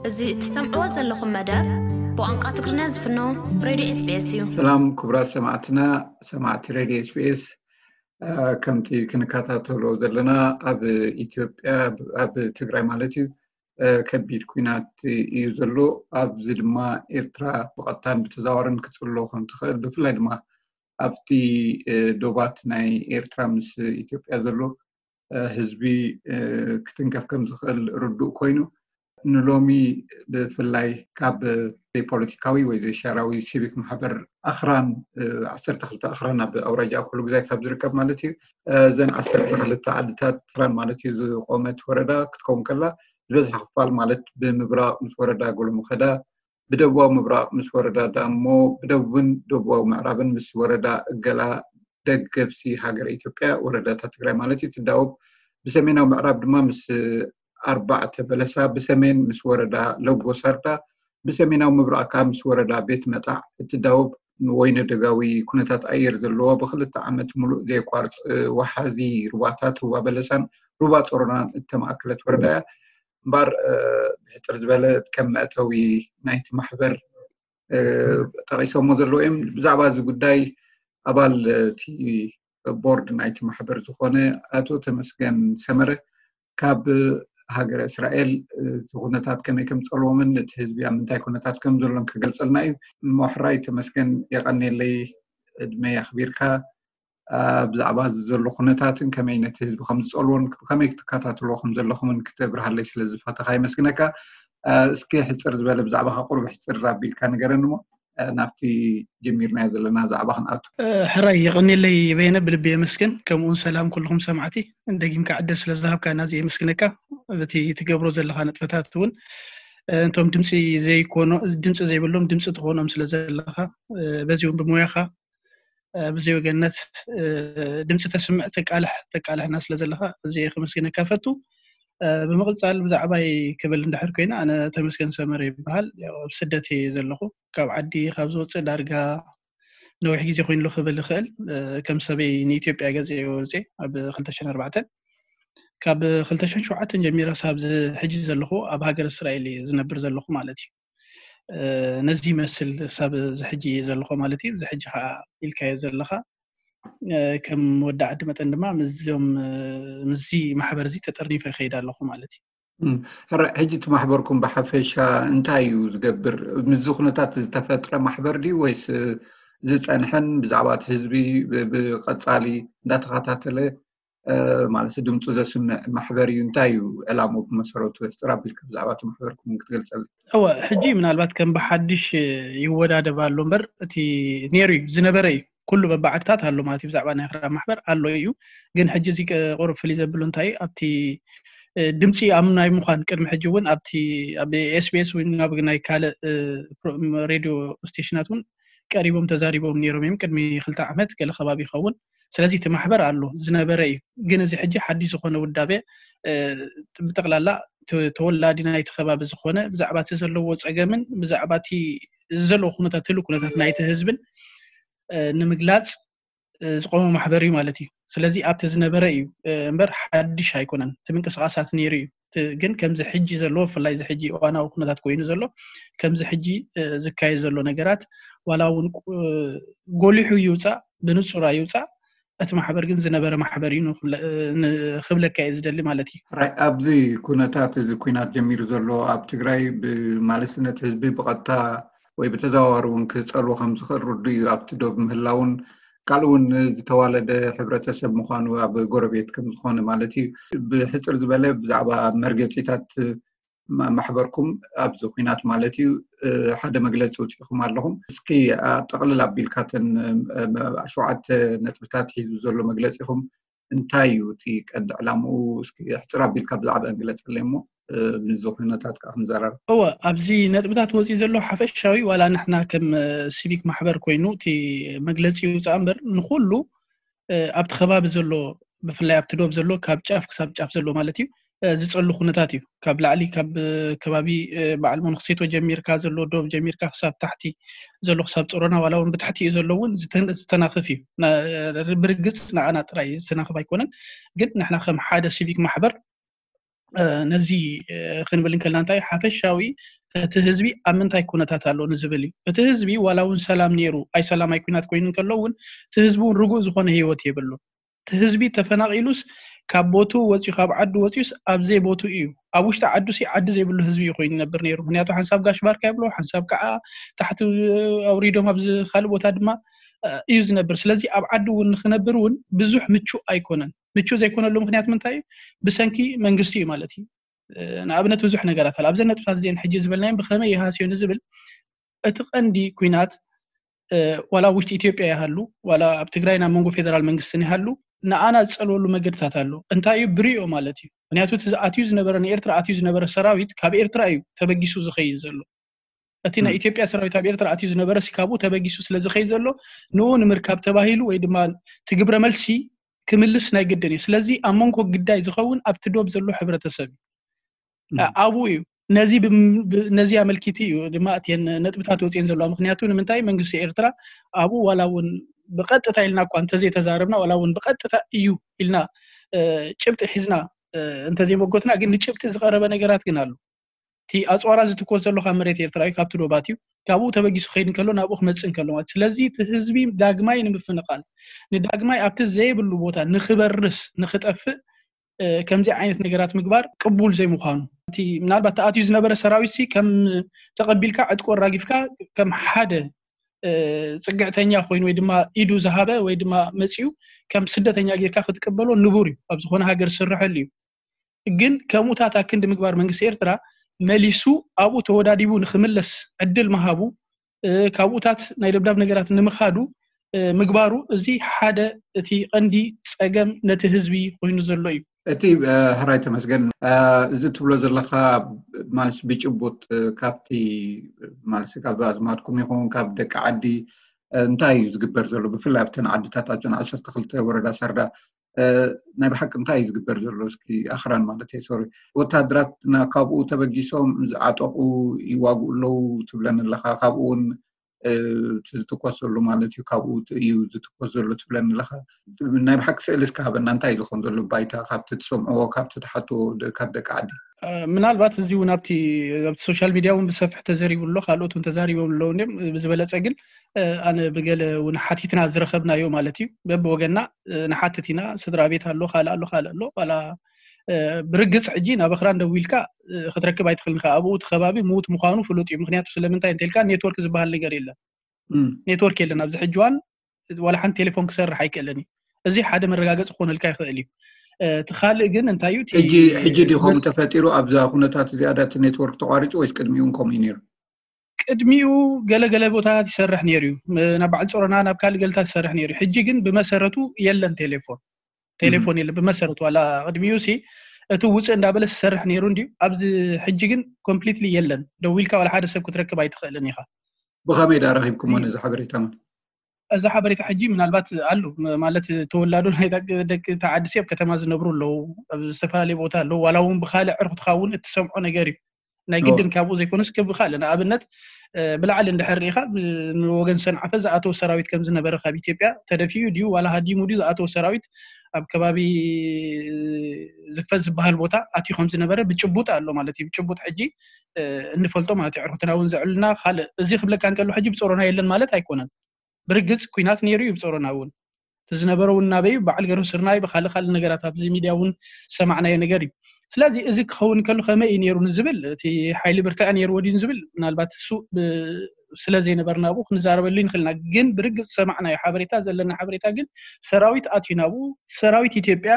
እዚ እትሰምዕዎ ዘለኹም መደብ ብቋንቋ ትግርኛ ዝፍኖ ሬድዮ ኤስቢኤስ እዩ። ሰላም ክቡራት ሰማዕትና፣ ሰማዕቲ ሬድዮ ኤስቢኤስ። ከምቲ ክንከታተሎ ዘለና፣ ኣብ ኢትዮጵያ፣ ኣብ ትግራይ ማለት እዩ፣ ከቢድ ኩናት እዩ ዘሎ። ኣብዚ ድማ ኤርትራ ብቐጥታን ብተዘዋዋርን ክትጽሎ ከም ትኽእል፣ ብፍላይ ድማ ኣብቲ ዶባት ናይ ኤርትራ ምስ ኢትዮጵያ ዘሎ ህዝቢ ክትንከፍ ከም ዝኽእል ርዱእ ኮይኑ፣ ንሎሚ ብፍላይ ካብ ዘይፖለቲካዊ ወይ ዘይሻራዊ ሲቪክ ማሕበር ኣኽራን፣ ዓሰርተ ክልተ ኣኽራን ኣብ ኣውራጃ ኣኮሎ ግዛይ ካብ ዝርከብ ማለት እዩ፣ እዘን ዓሰርተ ክልተ ዓድታት ኣኽራን ማለት እዩ ዝቆመት ወረዳ ክትከውን ከላ፣ ዝበዝሐ ክፋል ማለት ብምብራቕ ምስ ወረዳ ጎሎመኸዳ፣ ብደቡባዊ ምብራቕ ምስ ወረዳ ዳሞ፣ ብደቡብን ደቡባዊ ምዕራብን ምስ ወረዳ እገላ፣ ደገብሲ ሃገረ ኢትዮጵያ፣ ወረዳታት ትግራይ ማለት እዩ፣ ትዳወብ። ብሰሜናዊ ምዕራብ ድማ ምስ ኣርባዕተ በለሳ፣ ብሰሜን ምስ ወረዳ ለጎ ሳርዳ፣ ብሰሜናዊ ምብራቕ ከዓ ምስ ወረዳ ቤት መጣዕ እትዳወብ፣ ወይነ ደጋዊ ኩነታት ኣየር ዘለዎ፣ ብክልተ ዓመት ሙሉእ ዘየቋርፅ ወሓዚ ሩባታት፣ ሩባ በለሳን ሩባ ጾሮናን እተማእከለት ወረዳ እያ። እምበር ብሕፅር ዝበለ ከም መእተዊ ናይቲ ማሕበር ጠቂሶሞ ዘለዉ እዮም። ብዛዕባ እዚ ጉዳይ ኣባል እቲ ቦርድ ናይቲ ማሕበር ዝኾነ ኣቶ ተመስገን ሰመረ ካብ ሃገረ እስራኤል እቲ ኩነታት ከመይ ከም ዝጸልዎምን እቲ ህዝቢ ኣብ ምንታይ ኩነታት ከም ዘሎን ክገልጸልና እዩ። እሞ ሕራይ ተመስገን፣ የቐንየለይ፣ ዕድመ የኽቢርካ። ብዛዕባ እዚ ዘሎ ኩነታትን ከመይ ነቲ ህዝቢ ከም ዝጸልዎን ከመይ ክትከታተልዎ ከም ዘለኹምን ክተብርሃለይ ስለ ዝፈተኻ የመስግነካ። እስኪ ሕጽር ዝበለ ብዛዕባኻ ቁሩብ ሕጽር ኣቢልካ ንገረኒ እሞ ናብቲ ጀሚርናዮ ዘለና ዛዕባ ክንኣቱ። ሕራይ የቐንየለይ በየነ፣ ብልቢ የመስግን። ከምኡውን ሰላም ኩልኹም ሰማዕቲ፣ ደጊምካ ዕድል ስለ ዝሃብካና እዚ የመስግነካ። በቲ ትገብሮ ዘለኻ ንጥፈታት እውን እንቶም ድምፂ ዘይኮኖ ድምፂ ዘይብሎም ድምፂ ትኾኖም ስለ ዘለኻ፣ በዚ እውን ብሞያኻ ብዘይ ወገንነት ድምፂ ተስምዕ ተቃልሕ ተቃልሕና ስለ ዘለኻ እዚ ከመስግነካ ፈቱ። ብምቕፃል ብዛዕባይ ክብል እንድሕር ኮይና፣ ኣነ ተመስገን ሰመረ ይበሃል። ኣብ ስደት እየ ዘለኹ። ካብ ዓዲ ካብ ዝወፅእ ዳርጋ ነዊሕ ግዜ ኮይኑሎ ክብል ይኽእል። ከም ሰበይ ንኢትዮጵያ ገፀ ወፅየ ኣብ ክልተ ሽሕን ኣርባዕተን። ካብ ክልተ ሽሕን ሸውዓተን ጀሚረ ሳብ ሕጂ ዘለኹ ኣብ ሃገር እስራኤል እየ ዝነብር ዘለኹ ማለት እዩ። ነዚ ይመስል ሳብ ዝሕጂ ዘለኹ ማለት እዩ። ዝሕጂ ከዓ ኢልካዮ ዘለኻ ከም ወዲ ዓዲ መጠን ድማ ምስዞም ምስዚ ማሕበር እዚ ተጠርኒፈ ይኸይድ ኣለኹ ማለት እዩ። ሕጂ እቲ ማሕበርኩም ብሓፈሻ እንታይ እዩ ዝገብር? ምስዚ ኩነታት ዝተፈጥረ ማሕበር ድዩ ወይስ ዝፀንሐን ብዛዕባ እቲ ህዝቢ ብቐፃሊ እንዳተኸታተለ ማለት ድምፁ ዘስምዕ ማሕበር እዩ? እንታይ እዩ ዕላምኡ ብመሰረቱ? ሕፅር ኣቢልካ ብዛዕባ እቲ ማሕበርኩም ክትገልፀልና። እወ፣ ሕጂ ምናልባት ከም ብሓድሽ ይወዳደብ ኣሎ እምበር እቲ ነይሩ እዩ ዝነበረ እዩ። ኩሉ በብዓድታት ኣሎ ማለት እዩ። ብዛዕባ ናይ ኣኽራን ማሕበር ኣሎ እዩ። ግን ሕጂ እዚ ቁሩብ ፍልይ ዘብሎ እንታይ ኣብቲ ድምፂ ኣብ ናይ ምዃን ቅድሚ ሕጂ እውን ኣብቲ ኣብ ኤስቢኤስ ወይ ኣብ ናይ ካልእ ሬድዮ ስቴሽናት እውን ቀሪቦም ተዛሪቦም ነይሮም እዮም ቅድሚ ክልተ ዓመት ገለ ከባቢ ይኸውን። ስለዚ እቲ ማሕበር ኣሎ ዝነበረ እዩ። ግን እዚ ሕጂ ሓድሽ ዝኾነ ውዳቤ ብጠቕላላ ተወላዲ ናይቲ ከባቢ ዝኾነ ብዛዕባ እቲ ዘለዎ ፀገምን ብዛዕባ እቲ ዘለዎ ኩነታት ህሉ ኩነታት ናይቲ ህዝብን ንምግላፅ ዝቆመ ማሕበር እዩ ማለት እዩ። ስለዚ ኣብቲ ዝነበረ እዩ እምበር ሓድሽ ኣይኮነን። እቲ ምንቅስቃሳት ነይሩ እዩ። ግን ከምዚ ሕጂ ዘለዎ ብፍላይ እዚ ሕጂ እዋናዊ ኩነታት ኮይኑ ዘሎ ከምዚ ሕጂ ዝካየድ ዘሎ ነገራት ዋላ እውን ጎሊሑ ይውፃእ ብንፁር ኣይውፃእ እቲ ማሕበር ግን ዝነበረ ማሕበር እዩ ክብለካ እየ ዝደሊ ማለት እዩ። ኣብዚ ኩነታት እዚ ኩናት ጀሚሩ ዘሎ ኣብ ትግራይ ብማለስነት ህዝቢ ብቐጥታ ወይ ብተዘዋዋሪ እውን ክፀልዎ ከም ዝኽእል ርዱ እዩ። ኣብቲ ዶብ ምህላውን ካልእ እውን ዝተዋለደ ሕብረተሰብ ምዃኑ ኣብ ጎረቤት ከም ዝኾነ ማለት እዩ። ብሕፅር ዝበለ ብዛዕባ መርገፂታት ማሕበርኩም ኣብዚ ኩናት ማለት እዩ ሓደ መግለፂ ውፅኢኹም ኣለኹም። እስኪ ጠቕልል ኣቢልካተን ሸውዓተ ነጥብታት ሒዙ ዘሎ መግለፂኹም እንታይ እዩ እቲ ቀንዲ ዕላምኡ? እስኪ ሕፅር ኣቢልካ ብዛዕባ ግለፀለይ እሞ ምስዚ ኩነታት ከዓ ክንዘራረብ። እወ፣ ኣብዚ ነጥብታት ወፂኡ ዘሎ ሓፈሻዊ ዋላ ንሕና ከም ሲቪክ ማሕበር ኮይኑ እቲ መግለፂ ይውፃእ እምበር ንኩሉ ኣብቲ ከባቢ ዘሎ ብፍላይ ኣብቲ ዶብ ዘሎ ካብ ጫፍ ክሳብ ጫፍ ዘሎ ማለት እዩ ዝፀሉ ኩነታት እዩ። ካብ ላዕሊ ካብ ከባቢ በዓል መነኩሴቶ ጀሚርካ ዘሎ ዶብ ጀሚርካ ክሳብ ታሕቲ ዘሎ ክሳብ ፀሮና ዋላ እውን ብታሕቲ እዩ ዘሎ እውን ዝተናኽፍ እዩ። ብርግፅ ንዓና ጥራይ ዝተናኽፍ ኣይኮነን። ግን ንሕና ከም ሓደ ሲቪክ ማሕበር ነዚ ክንብል እንከልና እንታይ ሓፈሻዊ እቲ ህዝቢ ኣብ ምንታይ ኩነታት ኣሎ ንዝብል እዩ። እቲ ህዝቢ ዋላ እውን ሰላም ነይሩ፣ ኣይ ሰላም ኣይ ኩናት ኮይኑ እንከሎ እውን እቲ ህዝቢ እውን ርጉእ ዝኾነ ህይወት የብሉ። እቲ ህዝቢ ተፈናቒሉስ ካብ ቦቱ ወፂኡ፣ ካብ ዓዱ ወፂኡስ ኣብ ዘይቦቱ እዩ። ኣብ ውሽጢ ዓዱ ሲ ዓዲ ዘይብሉ ህዝቢ እዩ ኮይኑ ይነብር ነይሩ። ምክንያቱ ሓንሳብ ጋሽ ባርካ ይብሎ፣ ሓንሳብ ከዓ ታሕቲ ኣውሪዶም ኣብዚ ካልእ ቦታ ድማ እዩ ዝነብር። ስለዚ ኣብ ዓዲ እውን ንክነብር እውን ብዙሕ ምቹእ ኣይኮነን። ምቹእ ዘይኮነሉ ምክንያት ምንታይ እዩ? ብሰንኪ መንግስቲ እዩ ማለት እዩ። ንኣብነት ብዙሕ ነገራት ኣሎ። ኣብዘን ነጥብታት እዚአን ሕጂ ዝበልናዮም ብኸመይ ይሃስዮ ንዝብል እቲ ቀንዲ ኩናት ዋላ ውሽጢ ኢትዮጵያ ይሃሉ ዋላ ኣብ ትግራይ ናብ መንጎ ፌደራል መንግስትን ይሃሉ ንኣና ዝፀልወሉ መገድታት ኣሎ። እንታይ እዩ ብሪኦ ማለት እዩ። ምክንያቱ እቲ ኣትዩ ዝነበረ ንኤርትራ ኣትዩ ዝነበረ ሰራዊት ካብ ኤርትራ እዩ ተበጊሱ ዝኸይድ ዘሎ። እቲ ናይ ኢትዮጵያ ሰራዊት ኣብ ኤርትራ ኣትዩ ዝነበረ ሲ ካብኡ ተበጊሱ ስለ ዝኸይድ ዘሎ ንኡ ንምርካብ ተባሂሉ ወይ ድማ ትግብረ መልሲ ክምልስ ናይ ግድን እዩ። ስለዚ ኣብ መንጎ ግዳይ ዝኸውን ኣብቲ ዶብ ዘሎ ሕብረተሰብ እዩ ኣብኡ እዩ። ነዚ ነዚ ኣመልኪቲ እዩ ድማ እተን ነጥብታት ወፅየን ዘለዋ። ምክንያቱ ንምንታይ መንግስቲ ኤርትራ ኣብኡ ዋላ እውን ብቀጥታ ኢልና እኳ እንተዘይተዛረብና ዋላ እውን ብቀጥታ እዩ ኢልና ጭብጢ ሒዝና እንተዘይመጎትና ግን ንጭብጢ ዝቀረበ ነገራት ግን ኣሎ። እቲ ኣፅዋራ ዝትኮስ ዘሎ ካብ መሬት ኤርትራ እዩ፣ ካብቲ ዶባት እዩ። ካብኡ ተበጊሱ ክኸይድ እንከሎ ናብኡ ክመፅእ እንከሎ ማለት ስለዚ እቲ ህዝቢ ዳግማይ ንምፍንቃል ንዳግማይ ኣብቲ ዘይብሉ ቦታ ንክበርስ ንክጠፍእ ከምዚ ዓይነት ነገራት ምግባር ቅቡል ዘይምዃኑ እቲ ምናልባት ተኣትዩ ዝነበረ ሰራዊት ሲ ከም ተቐቢልካ ዕጥቆ ኣራጊፍካ ከም ሓደ ፅግዕተኛ ኮይኑ ወይ ድማ ኢዱ ዝሃበ ወይ ድማ መፂኡ ከም ስደተኛ ጌርካ ክትቅበሎ ንቡር እዩ። ኣብ ዝኾነ ሃገር ዝስርሐሉ እዩ። ግን ከምኡታት ኣክንዲ ምግባር መንግስቲ ኤርትራ መሊሱ ኣብኡ ተወዳዲቡ ንክምለስ ዕድል ምሃቡ ካብኡታት ናይ ደብዳብ ነገራት ንምኻዱ ምግባሩ እዚ ሓደ እቲ ቀንዲ ፀገም ነቲ ህዝቢ ኮይኑ ዘሎ እዩ። እቲ ሕራይ ተመስገን እዚ ትብሎ ዘለካ ማለት ብጭቡጥ ካብቲ ማለት ካብ ኣዝማድኩም ይኹን ካብ ደቂ ዓዲ እንታይ እዩ ዝግበር ዘሎ ብፍላይ ኣብተን ዓድታት ኣብተን ዓሰርተ ክልተ ወረዳ ሳርዳ ናይ ብሓቂ እንታይ እዩ ዝግበር ዘሎ እስኪ ኣኽራን ማለት እየ ሶሪ ወታደራት ካብኡ ተበጊሶም ዝዓጠቑ ይዋግኡ ኣለዉ ትብለኒ ኣለኻ ካብኡ እውን እቲ ዝትኮስ ዘሎ ማለት እዩ ካብኡ እዩ ዝትኮስ ዘሎ ትብለኒ ኣለኻ ናይ ብሓቂ ስእሊ እስካ ሃበና እንታይ እዩ ዝኮን ዘሎ ባይታ ካብቲ ትሰምዕዎ ካብቲ ትሓትዎ ካብ ደቂ ዓዲ ምናልባት እዚ እውን ኣብቲ ኣብቲ ሶሻል ሚድያ እውን ብሰፍሕ ተዘሪቡ ኣሎ ካልኦት እውን ተዛሪቦም ኣለዉ እንዲም ብዝበለፀ ግን ኣነ ብገለ እውን ሓቲትና ዝረኸብናዮ ማለት እዩ በብወገና ንሓትት ኢና ስድራ ቤት ኣሎ ካልእ ኣሎ ካልእ ኣሎ ዋላ ብርግፅ ሕጂ ናብ ኣኽራን ደዊልካ ክትረክብ ኣይትኽእልን ኢኻ ኣብኡ እቲ ከባቢ ምዉት ምዃኑ ፍሉጥ እዩ ምክንያቱ ስለምንታይ እንተልካ ኔትወርክ ዝበሃል ነገር የለን ኔትወርክ የለን ኣብዚ ሕጂ ዋን ዋላ ሓንቲ ቴሌፎን ክሰርሕ ኣይክእልን እዩ እዚ ሓደ መረጋገፂ ክኾነልካ ይኽእል እዩ እቲ ካልእ ግን እንታይ እዩ ሕጂ ድኾም ተፈጢሩ ኣብዛ ኩነታት እዚኣ ዳቲ ኔትወርክ ተቋሪፁ ወይስ ቅድሚኡ እውን ከምኡ እዩ ነይሩ ቅድሚኡ ገለገለ ቦታታት ይሰርሕ ነይሩ እዩ ናብ በዓል ፀሮና ናብ ካልእ ገለታት ይሰርሕ ነይሩ ሕጂ ግን ብመሰረቱ የለን ቴሌፎን ቴሌፎን የለን ብመሰረቱ ዋላ ቅድሚኡ ሲ እቲ ውፅእ እንዳበለ ዝሰርሕ ነይሩ እንድዩ ኣብዚ ሕጂ ግን ኮምፕሊትሊ የለን ደዊልካ ዋላ ሓደ ሰብ ክትረክብ ኣይትኽእልን ኢኻ ብኸመይ ዳ ረኺብኩሞ ነዚ ሓበሬታ እዚ ሓበሬታ ሕጂ ምናልባት ኣሉ ማለት ተወላዶ ናይ ደቂ ተዓድሲ ኣብ ከተማ ዝነብሩ ኣለዉ ኣብ ዝተፈላለዩ ቦታ ኣለዉ ዋላ እውን ብካልእ ዕርኩትካ እውን እትሰምዖ ነገር እዩ ናይ ግድን ካብኡ ዘይኮነስ ክብካል ንኣብነት ብላዕሊ እንድሕር ርኢኻ ንወገን ሰንዓፈ ዝኣተወ ሰራዊት ከም ዝነበረ ካብ ኢትዮጵያ ተደፊኡ ድዩ ዋላ ሃዲሙ ድዩ ዝኣተወ ሰራዊት ኣብ ከባቢ ዝፈት ዝበሃል ቦታ ኣትዩ ከም ዝነበረ ብጭቡጥ ኣሎ ማለት እዩ ብጭቡጥ ሕጂ እንፈልጦ ማለት እዩ ዕርኩትና እውን ዘዕልና ካልእ እዚ ክብለካ እንከሎ ሕጂ ብፀሮና የለን ማለት ኣይኮነን ብርግፅ ኩናት ነይሩ እዩ ብፀሮና እውን እቲ ዝነበረ እውን ናበይ በዓል ገርሁ ስርናይ ብካልእ ካልእ ነገራት ኣብዚ ሚድያ እውን ዝሰማዕናዮ ነገር እዩ ስለዚ እዚ ክኸውን ከሎ ከመይ እዩ ነይሩ ንዝብል እቲ ሓይሊ ብርትዐ ነይርዎ ድዩ ንዝብል ምናልባት እሱ ስለ ዘይነበርና ኣብኡ ክንዛረበሉ ንክእልና ግን ብርግፅ ዝሰማዕናዮ ሓበሬታ ዘለና ሓበሬታ ግን ሰራዊት ኣትዩ ናብኡ ሰራዊት ኢትዮጵያ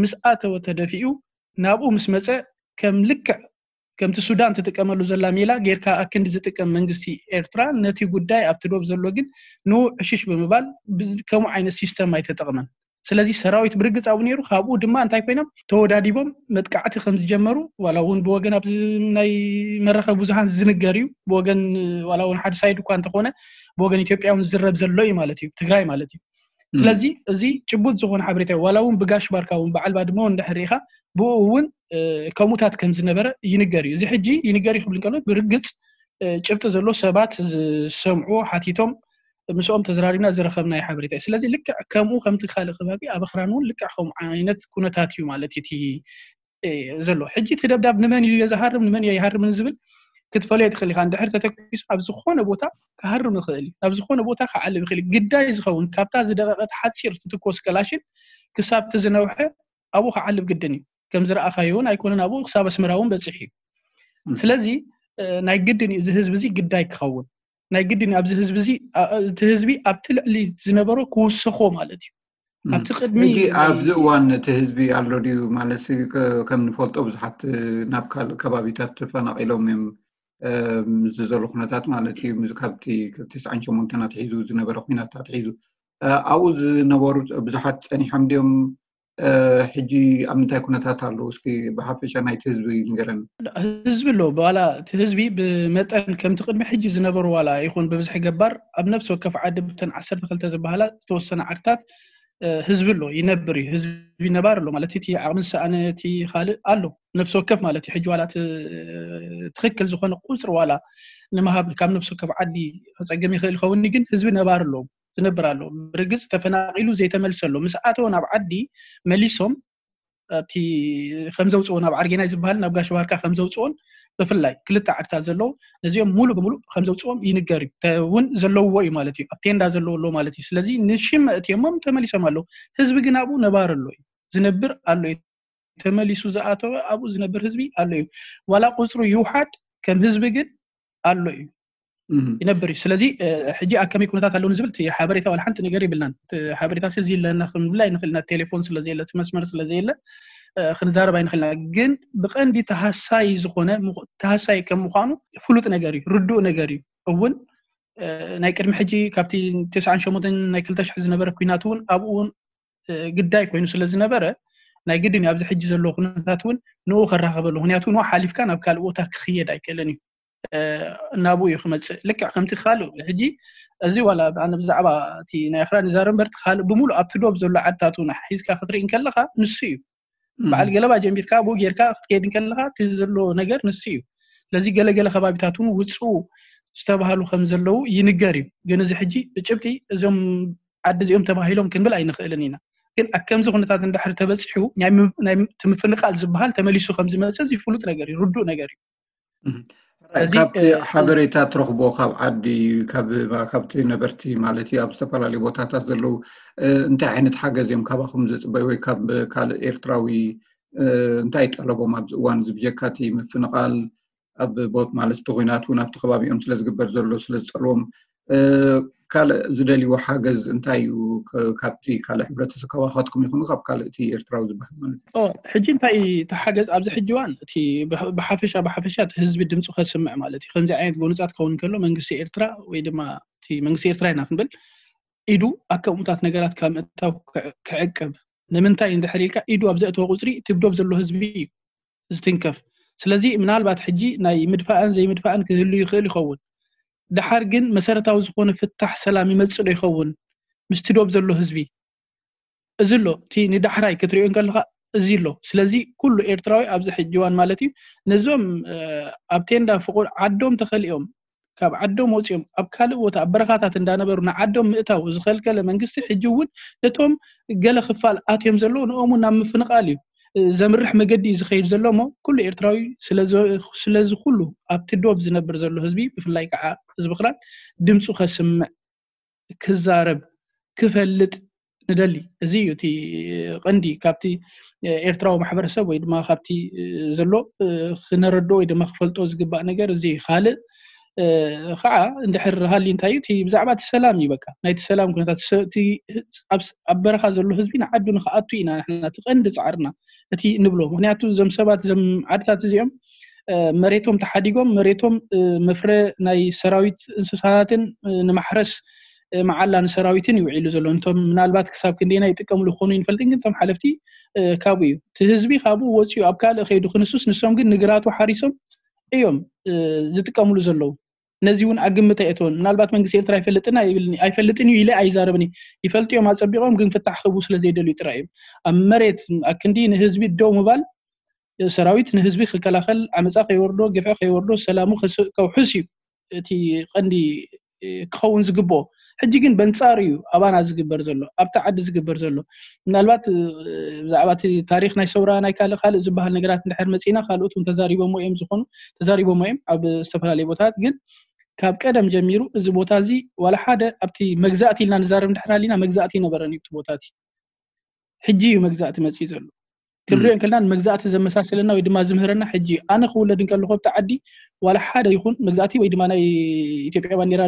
ምስ ኣተወ ተደፊኡ ናብኡ ምስ መፀ ከም ልክዕ ከምቲ ሱዳን ትጥቀመሉ ዘላ ሜላ ጌርካ ኣክንዲ ዝጥቀም መንግስቲ ኤርትራ ነቲ ጉዳይ ኣብቲ ዶብ ዘሎ ግን ንኡ ዕሽሽ ብምባል ከምኡ ዓይነት ሲስተም ኣይተጠቕመን ስለዚ ሰራዊት ብርግፅ ኣብኡ ነይሩ ካብኡ ድማ እንታይ ኮይኖም ተወዳዲቦም መጥቃዕቲ ከም ዝጀመሩ ዋላ እውን ብወገን ኣብዚ ናይ መራኸቢ ብዙሃን ዝንገር እዩ ብወገን ዋላ እውን ሓደ ሳይድ እኳ እንተኾነ ብወገን ኢትዮጵያ እውን ዝዝረብ ዘሎ እዩ ማለት እዩ ትግራይ ማለት እዩ ስለዚ እዚ ጭቡጥ ዝኾነ ሓበሬታ እዩ ዋላ እውን ብጋሽ ባርካ እውን በዓል ባድመ እውን እንድሕር ርኢኻ ብኡ እውን ከምኡታት ከም ዝነበረ ይንገር እዩ እዚ ሕጂ ይንገር እዩ ክብል እንከሎ ብርግፅ ጭብጢ ዘሎ ሰባት ዝሰምዑ ሓቲቶም ምስኦም ተዘራሪብና ዝረኸብናዮ ሓበሬታ እዩ ስለዚ ልክዕ ከምኡ ከምቲ ካልእ ከባቢ ኣብ ኣኽራን እውን ልክዕ ከምኡ ዓይነት ኩነታት እዩ ማለት እዩ እቲ ዘሎ። ሕጂ እቲ ደብዳብ ንመን እዩ ዝሃርም፣ ንመን እዩ ኣይሃርምን ዝብል ክትፈልዮ ትኽእል ኢኻ። እንድሕር ተተኪሱ ኣብ ዝኾነ ቦታ ክሃርም ይኽእል እዩ፣ ናብ ዝኾነ ቦታ ክዓልብ ይኽእል እዩ። ግዳይ ዝኸውን ካብታ ዝደቐቐት ሓፂር ትትኮስ ከላሽን ክሳብ እቲ ዝነውሐ ኣብኡ ክዓልብ ግድን እዩ። ከም ዝረኣኻዮ እውን ኣይኮነን፣ ኣብኡ ክሳብ ኣስመራ እውን በፂሑ እዩ። ስለዚ ናይ ግድን እዩ እዚ ህዝቢ እዚ ግዳይ ክኸውን፣ ናይ ግድን እዩ ኣብዚ ህዝቢ እዚ፣ እቲ ህዝቢ ኣብቲ ልዕሊ ዝነበሮ ክውሰኾ ማለት እዩ። ኣብቲ ቅድሚ ሕጂ ኣብዚ እዋን እቲ ህዝቢ ኣሎ ድዩ ማለት ከም ንፈልጦ ብዙሓት ናብ ካልእ ከባቢታት ተፈናቒሎም እዮም። ምስዚ ዘሎ ኩነታት ማለት እዩ፣ ካብቲ ትስዓን ሸሞንተን ኣትሒዙ ዝነበረ ኩናት ኣትሒዙ ኣብኡ ዝነበሩ ብዙሓት ጸኒሖም ድዮም? ሕጂ ኣብ ምንታይ ኩነታት ኣለዉ? እስኪ ብሓፈሻ ናይቲ ህዝቢ ንገረኒ። ህዝቢ ኣሎ፣ ዋላ እቲ ህዝቢ ብመጠን ከምቲ ቅድሚ ሕጂ ዝነበሩ ዋላ ይኹን ብብዝሒ ገባር ኣብ ነፍሲ ወከፍ ዓዲ ብተን ዓሰርተ ክልተ ዝበሃላ ዝተወሰነ ዓድታት ህዝቢ ኣሎ፣ ይነብር እዩ። ህዝቢ ነባር ኣሎ ማለት እቲ ዓቕሚ ዝሰኣነ እቲ ካልእ ኣሎ፣ ነፍሲ ወከፍ ማለት እዩ። ሕጂ ዋላ እቲ ትኽክል ዝኾነ ቁፅሪ ዋላ ንምሃብ ካብ ነፍሲ ወከፍ ዓዲ ከፀግም ይኽእል ይኸውን፣ ግን ህዝቢ ነባር ኣሎ፣ ዝነብር ኣሎ። ብርግፅ ተፈናቒሉ ዘይተመልሰ ኣሎ። ምስ ኣተወ ናብ ዓዲ መሊሶም ኣብቲ ከምዘውፅዎ ናብ ዓርጌናይ ዝበሃል ናብ ጋሽ ባርካ ከምዘውፅዎን ብፍላይ ክልተ ዓድታት ዘለዉ ነዚኦም ሙሉ ብምሉእ ከምዘውፅዎም ይንገር እዩ እውን ዘለውዎ እዩ ማለት እዩ። ኣብ ቴንዳ ዘለዎ ኣሎ ማለት እዩ። ስለዚ ንሽም መእትዮሞም ተመሊሶም ኣለዉ። ህዝቢ ግን ኣብኡ ነባር ኣሎ እዩ፣ ዝነብር ኣሎ እዩ። ተመሊሱ ዝኣተወ ኣብኡ ዝነብር ህዝቢ ኣሎ እዩ። ዋላ ቁፅሩ ይውሓድ ከም ህዝቢ ግን ኣሎ እዩ፣ ይነብር እዩ። ስለዚ ሕጂ ኣብ ከመይ ኩነታት ኣለዉ ንዝብል እቲ ሓበሬታ ዋላ ሓንቲ ነገር ይብልናን። እቲ ሓበሬታ እዚ ኣለና ክንብል ኣይንኽእል ኢና፣ ቴሌፎን ስለዘየለ እቲ መስመር ስለዘየለ ክንዛረብ ኣይንኽእል ኢና። ግን ብቐንዲ ተሃሳይ ዝኾነ ተሃሳይ ከም ምዃኑ ፍሉጥ ነገር እዩ፣ ርዱእ ነገር እዩ። እውን ናይ ቅድሚ ሕጂ ካብቲ ተስዓን ሸሞንተን ናይ ክልተ ሽሕ ዝነበረ ኩናት እውን ኣብኡ እውን ግዳይ ኮይኑ ስለ ዝነበረ ናይ ግድን እዩ ኣብዚ ሕጂ ዘለዎ ኩነታት እውን ንኡ ከራኸበሉ። ምክንያቱ ንኡ ሓሊፍካ ናብ ካልእ ቦታ ክኽየድ ኣይክእልን እዩ። እናብኡ እዩ ክመፅእ። ልክዕ ከምቲ ካልእ ሕጂ እዚ ዋላ ኣነ ብዛዕባ እቲ ናይ ኣኽራን ይዛረብ እምበር እቲ ካልእ ብምሉእ ኣብቲ ዶብ ዘሎ ዓድታት እውን ሒዝካ ክትርኢ እንከለኻ ንሱ እዩ። በዓል ገለባ ጀሚርካ ኣብኡ ጌርካ ክትከይድ እንከለኻ እቲ ዘሎ ነገር ንሱ እዩ። ስለዚ ገለገለ ከባቢታት እውን ውፅኡ ዝተባሃሉ ከም ዘለዉ ይንገር እዩ። ግን እዚ ሕጂ ብጭብጢ እዞም ዓዲ እዚኦም ተባሂሎም ክንብል ኣይንኽእልን ኢና። ግን ኣብ ከምዚ ኩነታት እንድሕር ተበፂሑ ናይ ም- ናይ ም- እቲ ምፍንቓል ዝበሃል ተመሊሱ ከም ዝመፅእ እዚ ፍሉጥ ነገር እዩ፣ ርዱእ ነገር እዩ። እም። ሕራይ፣ እዚ፣ ካብቲ እ፣ ሓበሬታ ትረኽቦ ካብ ዓዲ፣ ካብ፣ ካብቲ ነበርቲ ማለት እዩ፣ ኣብ ዝተፈላለዩ ቦታታት ዘለዉ፣ እ፣ እንታይ ዓይነት ሓገዝ እዮም ካባኹም ዝፅበዩ ወይ ካብ ካልእ ኤርትራዊ፣ እ፣ እንታይ ጠለቦም ኣብዚ እዋን እዚ ብጀካ እቲ ምፍንቓል ኣብ ቦት ማለት እቲ ኹናት እውን ኣብቲ ከባቢኦም ስለ ዝግበር ዘሎ ስለ ዝፀልዎም፣ እ፣ ካልእ ዝደልይዎ ሓገዝ እንታይ እዩ? ከ- ካብቲ ካልእ ሕብረተሰብ ካባኻትኩም ይኹኑ ካብ ካልእ እቲ ኤርትራዊ ዝበሃል ማለት እዩ? ኦ፣ ሕጂ እንታይ እቲ ሓገዝ ኣብዚ ሕጂ እዋን እቲ ብሕ- ብሓፈሻ ብሓፈሻ እቲ ህዝቢ ድምፁ ከስምዕ ማለት እዩ። ከምዚ ዓይነት ጎንፃት ክኸውን ከሎ መንግስቲ ኤርትራ ወይ ድማ እቲ መንግስቲ ኤርትራ ኢና ክንብል ኢዱ ኣብ ከምኡታት ነገራት ካብ ምእታው ክዕ- ክዕቅብ። ንምንታይ እንድሕር ኢልካ ኢዱ ኣብ ዘእተወ ቁፅሪ እቲ ብዶብ ዘሎ ህዝቢ እዩ ዝትንከፍ። ስለዚ ምናልባት ሕጂ ናይ ምድፋእን ዘይምድፋእን ክህሉ ይኽእል ይኸውን። ደሓር ግን መሰረታዊ ዝኾነ ፍታሕ ሰላም ይመፅእ ዶ ይኸውን ምስቲ ዶብ ዘሎ ህዝቢ? እዚ ኣሎ፣ እቲ ንዳሕራይ ክትሪኦ እንከለኻ እዚ ኣሎ። ስለዚ ኩሉ ኤርትራዊ ኣብዚ ሕጂ እዋን ማለት እዩ ነዞም፣ እ፣ ኣብ ቴንዳ ፍቑድ ዓዶም ተኸሊኦም ካብ ዓዶም ወፂኦም ኣብ ካልእ ቦታ ኣብ በረኻታት እንዳነበሩ ንዓዶም ምእታው ዝኸልከለ መንግስቲ ሕጂ እውን ነቶም ገለ ክፋል ኣትዮም ዘለዉ ንኦም እውን ናብ ምፍንቓል እዩ፣ እ፣ ዘምርሕ መገዲ እዩ ዝኸይድ ዘሎ እሞ ኩሉ ኤርትራዊ ስለዚ ስለዚ ኩሉ ኣብቲ ዶብ ዝነብር ዘሎ ህዝቢ ብፍላይ ከዓ ህዝቢ ክራን ድምፁ ከስምዕ ክዛረብ ክፈልጥ ንደሊ። እዚ እዩ እቲ ቀንዲ ካብቲ ኤርትራዊ ማሕበረሰብ ወይ ድማ ካብቲ ዘሎ ክነረድኦ ወይ ድማ ክፈልጦ ዝግባእ ነገር እዚ እዩ። ካልእ ከዓ እንድሕር ሃልዩ እንታይ እዩ እቲ ብዛዕባ እቲ ሰላም እዩ። በቃ ናይቲ ሰላም ኩነታት ሰ- እቲ ኣብ ስ- ኣብ በረኻ ዘሎ ህዝቢ ንዓዱ ንክኣቱ ኢና ንሕና እቲ ቀንዲ ፃዕርና እቲ ንብሎ። ምክንያቱ እዞም ሰባት እዞም ዓድታት እዚኦም መሬቶም ተሓዲጎም መሬቶም መፍረ ናይ ሰራዊት እንስሳትን ንማሕረስ መዓላ ንሰራዊትን ይውዒሉ ዘሎ። እንቶም ምናልባት ክሳብ ክንደና ይጥቀምሉ ክኾኑ ይንፈልጥን ግን እቶም ሓለፍቲ ካብኡ እዩ እቲ ህዝቢ ካብኡ ወፂኡ ኣብ ካልእ ከይዱ ክንሱስ ንሶም ግን ንግራቱ ሓሪሶም እዮም ዝጥቀምሉ ዘለዉ። ነዚ እውን ኣግምት ኣይእተወን። ምናልባት መንግስቲ ኤርትራ ኣይፈልጥን ኣይብልን ኣይፈልጥን እዩ ኢለ ኣይዛረብን። ይፈልጡ እዮም ኣፀቢቖም ግን ፍታሕ ክህቡ ስለ ዘይደልዩ ጥራይ እዮም። ኣብ መሬት ኣክንዲ ንህዝቢ ደው ምባል ሰራዊት ንህዝቢ ክከላኸል ዓመፃ ከይወርዶ ግፍዒ ከይወርዶ ሰላሙ ከውሕስ እዩ እቲ ቀንዲ ክኸውን ዝግብኦ። ሕጂ ግን በንጻሩ እዩ ኣባና ዝግበር ዘሎ፣ ኣብቲ ዓዲ ዝግበር ዘሎ። ምናልባት ብዛዕባ እቲ ታሪክ ናይ ሰውራ ናይ ካልእ ካልእ ዝበሃል ነገራት እንድሕር መጺና፣ ካልኦት እውን ተዛሪቦሞ እዮም ዝኾኑ ተዛሪቦሞ እዮም ኣብ ዝተፈላለዩ ቦታታት። ግን ካብ ቀደም ጀሚሩ እዚ ቦታ እዚ ዋላ ሓደ ኣብቲ መግዛእቲ ኢልና ንዛረብ እንድሕር ኣሊና፣ መግዛእቲ ይነበረን እዩ እቲ ቦታ እቲ። ሕጂ እዩ መግዛእቲ መጽኡ ዘሎ። ክንሪኦ እንከልና ንመግዛእቲ ዘመሳሰለና ወይ ድማ ዝምህረና ሕጂ እዩ። ኣነ ክውለድ እንከለኹ ኣብቲ ዓዲ ዋላ ሓደ ይኹን መግዛእቲ ወይ ድማ ናይ ኢትዮጵያ ባንዲራ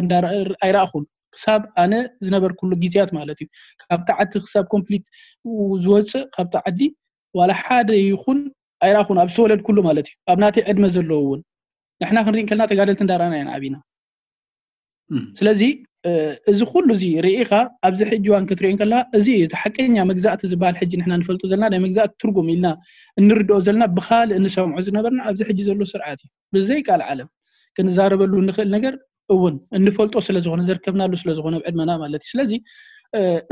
ኣይረኣኹን። ክሳብ ኣነ ዝነበርኩሉ ግዜያት ማለት እዩ። ካብቲ ዓዲ ክሳብ ኮምፕሊት ዝወፅእ ካብቲ ዓዲ ዋላ ሓደ ይኹን ኣይረኣኹን፣ ኣብ ዝተወለድኩሉ ማለት እዩ። ኣብ ናተይ ዕድመ ዘለዎ እውን ንሕና ክንርኢ እንከልና ተጋደልቲ እንዳረኣና ኢና ዓቢና። ስለዚ እዚ ኩሉ እዚ ርኢኻ ኣብዚ ሕጂ እዋን ክትሪኦ እንከለካ፣ እዚ እቲ ሓቀኛ መግዛእቲ ዝበሃል ሕጂ ንሕና ንፈልጦ ዘለና ናይ መግዛእቲ ትርጉም ኢልና እንርድኦ ዘለና ብኻልእ እንሰምዖ ዝነበርና ኣብዚ ሕጂ ዘሎ ስርዓት እዩ። ብዘይ ቃል ዓለም ክንዛረበሉ እንኽእል ነገር እውን እንፈልጦ ስለ ዝኾነ፣ ዘርከብናሉ ስለ ዝኾነ ኣብ ዕድመና ማለት እዩ። ስለዚ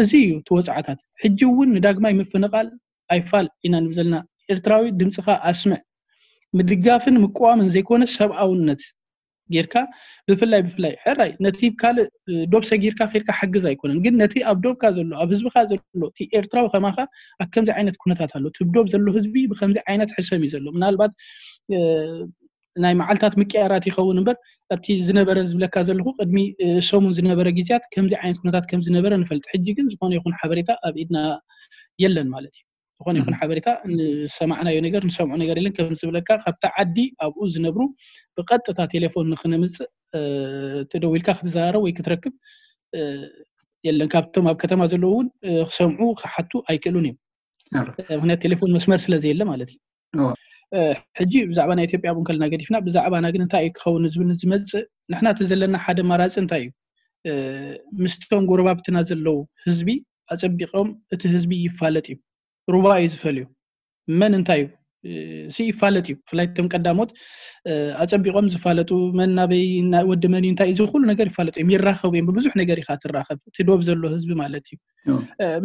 እዚ እዩ እቲ ወፅዓታት። ሕጂ እውን ንዳግማይ ምፍንቓል ኣይፋል ኢና ንብል ዘለና። ኤርትራዊ ድምፅኻ ኣስምዕ። ምድጋፍን ምቅዋምን ዘይኮነ ሰብኣውነት ጌርካ ብፍላይ ብፍላይ ሕራይ ነቲ ካልእ ዶብ ሰጊርካ ኬድካ ሓግዝ ኣይኮነን፣ ግን ነቲ ኣብ ዶብካ ዘሎ ኣብ ህዝብካ ዘሎ እቲ ኤርትራዊ ከማካ ኣብ ከምዚ ዓይነት ኩነታት ኣሎ። እቲ ዶብ ዘሎ ህዝቢ ብከምዚ ዓይነት ሕሰም እዩ ዘሎ። ምናልባት ናይ መዓልታት ምቅያራት ይኸውን እምበር ኣብቲ ዝነበረ ዝብለካ ዘለኹ ቅድሚ ሰሙን ዝነበረ ግዜያት ከምዚ ዓይነት ኩነታት ከም ዝነበረ ንፈልጥ። ሕጂ ግን ዝኾነ ይኹን ሓበሬታ ኣብ ኢድና የለን ማለት እዩ። ዝኾነ ይኹን ሓበሬታ ንሰማዕናዮ ነገር ንሰምዖ ነገር የለን። ከም ዝብለካ ካብቲ ዓዲ ኣብኡ ዝነብሩ ብቐጥታ ቴሌፎን ንክነምፅእ ተደዊልካ ክትዘራረብ ወይ ክትረክብ የለን። ካብቶም ኣብ ከተማ ዘለዉ እውን ክሰምዑ ክሓቱ ኣይክእሉን እዮም። ምክንያቱ ቴሌፎን መስመር ስለ ዘየለ ማለት እዩ። ሕጂ ብዛዕባ ናይ ኢትዮጵያ እውን ከልና ገዲፍና ብዛዕባና ግን እንታይ እዩ ክኸውን ዝብል ዝመፅእ ንሕና እቲ ዘለና ሓደ ኣማራፂ እንታይ እዩ? ምስቶም ጎረባብትና ዘለዉ ህዝቢ ኣፀቢቆም እቲ ህዝቢ ይፋለጥ እዩ። ሩባ እዩ ዝፈልዩ። መን እንታይ እዩ ሲ ይፋለጥ እዩ። ብፍላይ እቶም ቀዳሞት ኣፀቢቆም ዝፋለጡ መን ናበይ ወዲ መን እዩ እንታይ እዚ ኩሉ ነገር ይፋለጡ እዮም። ይራኸቡ እዮም። ብብዙሕ ነገር ኢካ ትራኸብ እቲ ዶብ ዘሎ ህዝቢ ማለት እዩ።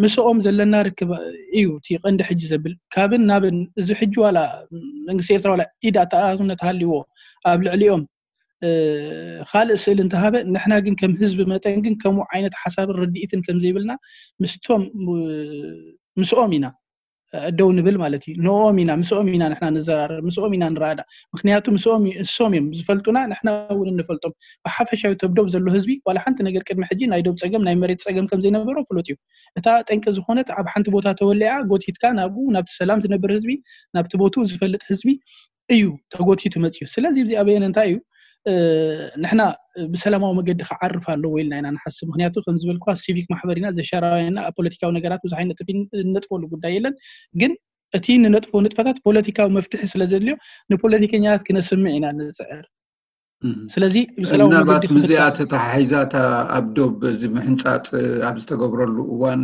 ምስኦም ዘለና ርክብ እዩ እቲ ቀንዲ ሕጂ ዘብል ካብን ናብን እዚ ሕጂ ዋላ መንግስቲ ኤርትራ ዋላ ኢድ ኣተኣታትነት ሃልይዎ ኣብ ልዕሊኦም ካልእ ስእል እንተሃበ ንሕና ግን ከም ህዝቢ መጠን ግን ከምኡ ዓይነት ሓሳብን ርድኢትን ከም ዘይብልና ምስቶም ምስኦም ኢና ደው ንብል ማለት እዩ። ንኦም ኢና ምስኦም ኢና ንሕና ንዘራረብ ምስኦም ኢና ንረዳእ። ምክንያቱ ምስኦም እሶም እዮም ዝፈልጡና ንሕና እውን እንፈልጦም። ብሓፈሻዊ ተብዶብ ዘሎ ህዝቢ ዋላ ሓንቲ ነገር ቅድሚ ሕጂ ናይ ዶብ ፀገም ናይ መሬት ፀገም ከም ዘይነበሮ ፍሉጥ እዩ። እታ ጠንቂ ዝኾነት ኣብ ሓንቲ ቦታ ተወሊዓ ጎቲትካ ናብኡ ናብቲ ሰላም ዝነብር ህዝቢ ናብቲ ቦትኡ ዝፈልጥ ህዝቢ እዩ ተጎቲቱ መፅዩ። ስለዚ እዚ ኣበየን እንታይ እዩ ንሕና ብሰላማዊ መገዲ ክዓርፍ ኣለዎ ኢልና ኢና ንሓስብ። ምክንያቱ ከም ዝበልኩ ሲቪክ ማሕበር ኢና ዘሻራውያና ኣብ ፖለቲካዊ ነገራት ብዙሕ ኣይነጥፍ ነጥፈሉ ጉዳይ የለን። ግን እቲ ንነጥፎ ንጥፈታት ፖለቲካዊ መፍትሒ ስለ ዘድልዮ ንፖለቲከኛታት ክነስምዕ ኢና ንፅዕር። ስለዚ ብሰላማዊ ምናልባት መገዲ ምዚኣ ክፍታሕ ተተሓሒዛ እታ ኣብ ዶብ እዚ ምሕንፃፅ ኣብ ዝተገብረሉ እዋን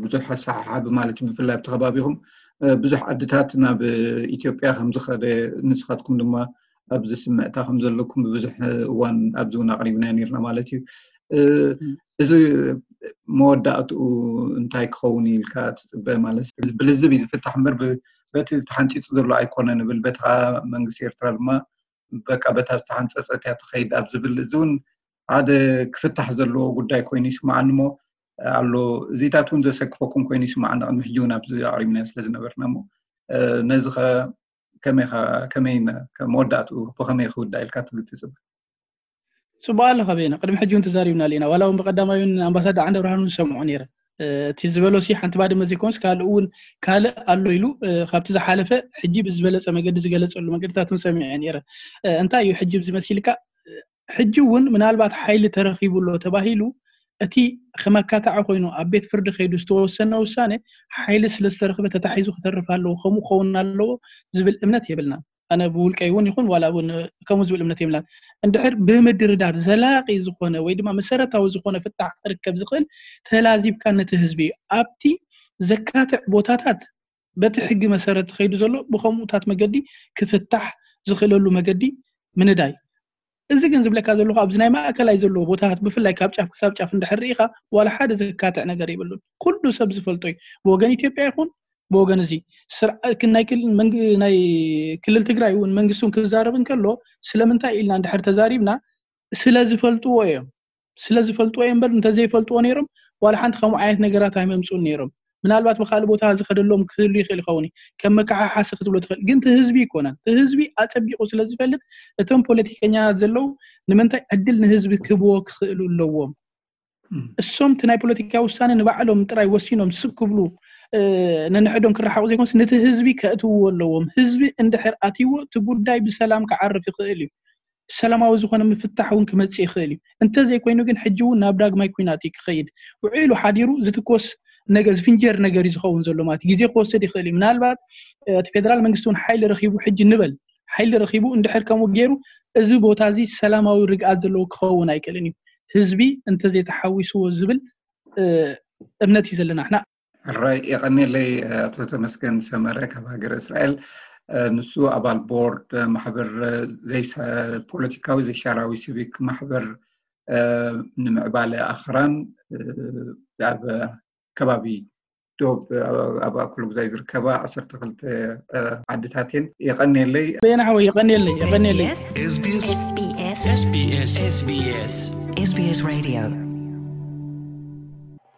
ብዙሕ ኣሰሓሓቢ ማለት እዩ ብፍላይ ኣብቲ ከባቢኹም ብዙሕ ዓድታት ናብ ኢትዮጵያ ከም ዝኸደ ንስኻትኩም ድማ ኣብዚ ስምዕታ ከም ዘለኩም ብብዙሕ እዋን ኣብዚ እውን ኣቕሪብና ነርና ማለት እዩ። እዚ መወዳእትኡ እንታይ ክኸውን ኢልካ ትፅበ ማለት ብልዝብ እዩ ዝፍታሕ እምበር በቲ ተሓንፂፁ ዘሎ ኣይኮነ ንብል በቲ ከዓ መንግስቲ ኤርትራ ድማ በቃ በታ ዝተሓንፀፀት እያ ትኸይድ ኣብ ዝብል እዚ እውን ሓደ ክፍታሕ ዘለዎ ጉዳይ ኮይኑ ይስማዓኒ እሞ ኣሎ እዚታት እውን ዘሰክፈኩም ኮይኑ ይስማዓኒ ቅድሚ ሕጂ እውን ኣብዚ ኣቕሪብና ስለ ዝነበርና እሞ ነዚ ከመይ ከመይ መወዳእትኡ ብከመይ ክውዳእ ኢልካ ትግትፅብ? ፅቡቅ ኣለካ ቤና ቅድሚ ሕጂ እውን ተዛሪብናሉ ኢና ዋላ እውን ብቀዳማይ እውን ኣምባሳደር ዓንደ ብርሃን እውን ሰምዖ ነይረ እቲ ዝበሎ ሲ ሓንቲ ባድመ ዘይኮንስ ካልእ እውን ካልእ ኣሎ ኢሉ ካብቲ ዝሓለፈ ሕጂ ብዝበለፀ መገዲ ዝገለፀሉ መገድታት እውን ሰሚዐ ነይረ። እንታይ እዩ ሕጂ ብዚ መሲልካ ሕጂ እውን ምናልባት ሓይሊ ተረኺቡ ኣሎ ተባሂሉ እቲ ከመካታዒ ኮይኑ ኣብ ቤት ፍርዲ ከይዱ ዝተወሰነ ውሳነ ሓይሊ ስለ ዝተረኽበ ተታሒዙ ክተርፍ ኣለዎ ከምኡ ክኸውን ኣለዎ ዝብል እምነት የብልናን። ኣነ ብውልቀይ እውን ይኹን ዋላ እውን ከምኡ ዝብል እምነት የብልናን። እንድሕር ብምድርዳር ዘላቂ ዝኾነ ወይ ድማ መሰረታዊ ዝኾነ ፍታሕ ክርከብ ዝኽእል ተላዚብካ ነቲ ህዝቢ ኣብቲ ዘካትዕ ቦታታት በቲ ሕጊ መሰረት ተኸይዱ ዘሎ ብኸምኡታት መገዲ ክፍታሕ ዝኽእለሉ መገዲ ምንዳይ። እዚ ግን ዝብለካ ዘለኹ ኣብዚ ናይ ማእከላይ ዘለዎ ቦታታት ብፍላይ ካብ ጫፍ ክሳብ ጫፍ እንድሕር ርኢኻ ዋላ ሓደ ዘካትዕ ነገር የብሉን። ኩሉ ሰብ ዝፈልጦ እዩ። ብወገን ኢትዮጵያ ይኹን ብወገን እዚ ናይ ክልል ትግራይ እውን መንግስቲ እውን ክዛረብ እንከሎ ስለምንታይ ኢልና እንድሕር ተዛሪብና ስለ ዝፈልጥዎ እዮም። ስለ ዝፈልጥዎ እዮም እምበር እንተዘይፈልጥዎ ነይሮም ዋላ ሓንቲ ከምኡ ዓይነት ነገራት ኣይመምፁን ነይሮም። ምናልባት ብካልእ ቦታ ዝኸደሎም ክህሉ ይኽእል ይኸውን እዩ። ከም መከሓሓሲ ክትብሎ ትኽእል፣ ግን እቲ ህዝቢ ይኮነን። እቲ ህዝቢ ኣጸቢቑ ስለ ዝፈልጥ እቶም ፖለቲከኛታት ዘለዉ ንምንታይ ዕድል ንህዝቢ ክህብዎ ክኽእሉ ኣለዎም። እሶም እቲ ናይ ፖለቲካ ውሳነ ንባዕሎም ጥራይ ወሲኖም ስቅ ክብሉ ነንሕዶም ክረሓቑ ዘይኮንስ ነቲ ህዝቢ ከእትውዎ ኣለዎም። ህዝቢ እንድሕር ኣትይዎ እቲ ጉዳይ ብሰላም ክዓርፍ ይኽእል እዩ። ሰላማዊ ዝኾነ ምፍታሕ እውን ክመፅእ ይኽእል እዩ። እንተዘይኮይኑ ግን ሕጂ እውን ናብ ዳግማይ ኩናት እዩ ክኸይድ። ውዒሉ ሓዲሩ ዝትኮስ ነገር ዝፍንጀር ነገር እዩ ዝኸውን ዘሎ ማለት ግዜ ክወስድ ይኽእል እዩ። ምናልባት እቲ ፌደራል መንግስቲ እውን ሓይሊ ረኺቡ ሕጂ ንበል ሓይሊ ረኺቡ እንድሕር ከምኡ ገይሩ እዚ ቦታ እዚ ሰላማዊ ርግኣት ዘለዎ ክኸውን ኣይክእልን እዩ። ህዝቢ እንተዘይተሓዊስዎ ዝብል እምነት እዩ ዘለና ንሕና። ሕራይ የቐኔለይ ኣቶ ተመስገን ሰመረ ካብ ሃገር እስራኤል። ንሱ ኣባል ቦርድ ማሕበር ፖለቲካዊ ዘይሻራዊ ሲቪክ ማሕበር ንምዕባለ ኣኽራን ኣብ ከባቢ ዶብ ኣብ ኣኩል ጉዛይ ዝርከባ ዓሰርተ ክልተ ዓድታት እየን። የቐኔለይ። በየና ሓወይ የቐኔለይ የቐኔለይ። SBS Radio